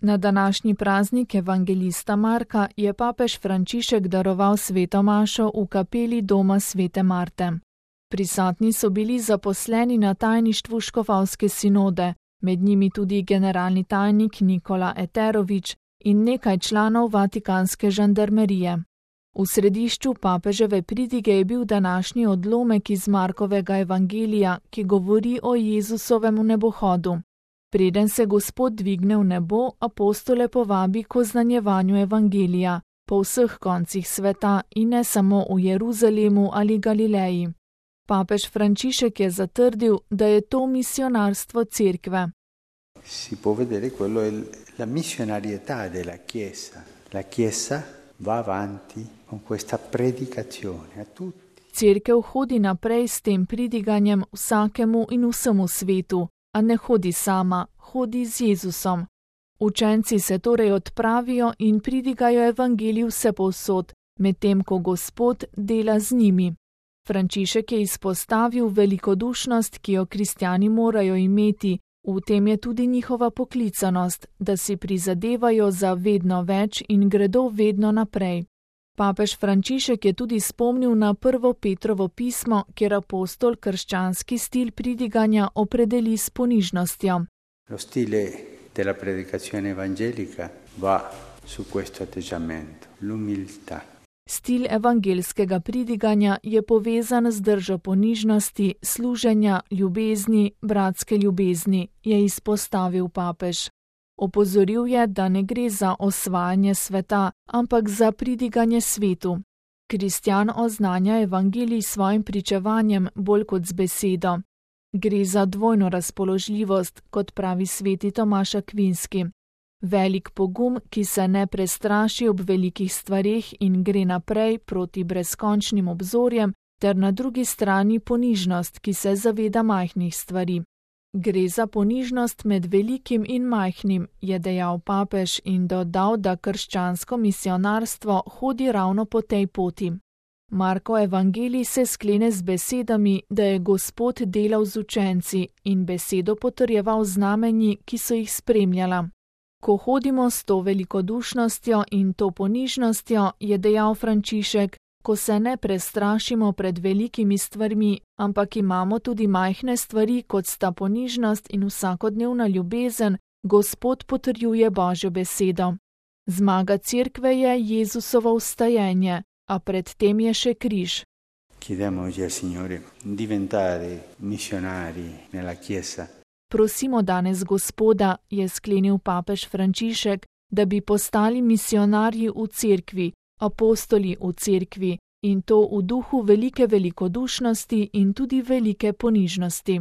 Na današnji praznik evangelista Marka je papež Frančišek daroval sveto mašo v kapeli doma svete Marte. Prisotni so bili zaposleni na tajništvu škofovske sinode, med njimi tudi generalni tajnik Nikola Eterović in nekaj članov vatikanske žandarmerije. V središču papeževe pridige je bil današnji odlomek iz Markovega evangelija, ki govori o Jezusovem nebohodu. Preden se Gospod dvigne v nebo, apostole povabi k oznanjevanju evangelija po vseh koncih sveta in ne samo v Jeruzalemu ali Galileji. Papež Frančišek je zatrdil, da je to misionarstvo cerkve. Si può vedere quello è la missionarietà della Chiesa. La Chiesa va avanti con questa predicazione a tutti. Cerkev hodi naprej s tem pridiganjem vsakemu in vsemu svetu, a ne hodi sama, hodi z Jezusom. Učenci se torej odpravijo in pridigajo evangelij vsepovsod, medtem ko Gospod dela z njimi. Frančišek je izpostavil velikodušnost, ki jo kristjani morajo imeti, v tem je tudi njihova poklicanost, da si prizadevajo za vedno več in gredo vedno naprej. Papež Frančišek je tudi spomnil na prvo Petrovo pismo, kjer apostol krščanski stil pridiganja opredeli s ponižnostjo. Lo stile della predicazione evangelica va su questo atteggiamento, l'umiltà. Stil evangelskega pridiganja je povezan z držo ponižnosti, služenja, ljubezni, bratske ljubezni, je izpostavil papež. Opozoril je, da ne gre za osvajanje sveta, ampak za pridiganje svetu. Kristjan oznanja evangelij s svojim pričevanjem bolj kot z besedo. Gre za dvojno razpoložljivost, kot pravi sveti Tomaž Akvinski. Velik pogum, ki se ne prestraši ob velikih stvareh in gre naprej proti brezkončnim obzorjem, ter na drugi strani ponižnost, ki se zaveda majhnih stvari. Gre za ponižnost med velikim in majhnim, je dejal papež in dodal, da krščansko misionarstvo hodi ravno po tej poti. Marko evangelij se sklene z besedami, da je Gospod delal z učenci in besedo potrjeval znamenji, ki so jih spremljala. Ko hodimo s to velikodušnostjo in to ponižnostjo, je dejal Frančišek, ko se ne prestrašimo pred velikimi stvarmi, ampak imamo tudi majhne stvari, kot sta ponižnost in vsakodnevna ljubezen, Gospod potrjuje Božjo besedo. Zmaga cerkve je Jezusovo vstajenje, a pred tem je še križ. Chiediamo oggi al Signore di diventare missionari nella Chiesa. Prosimo danes Gospoda, je sklenil papež Frančišek, da bi postali misionarji v cerkvi, apostoli v cerkvi, in to v duhu velike velikodušnosti in tudi velike ponižnosti.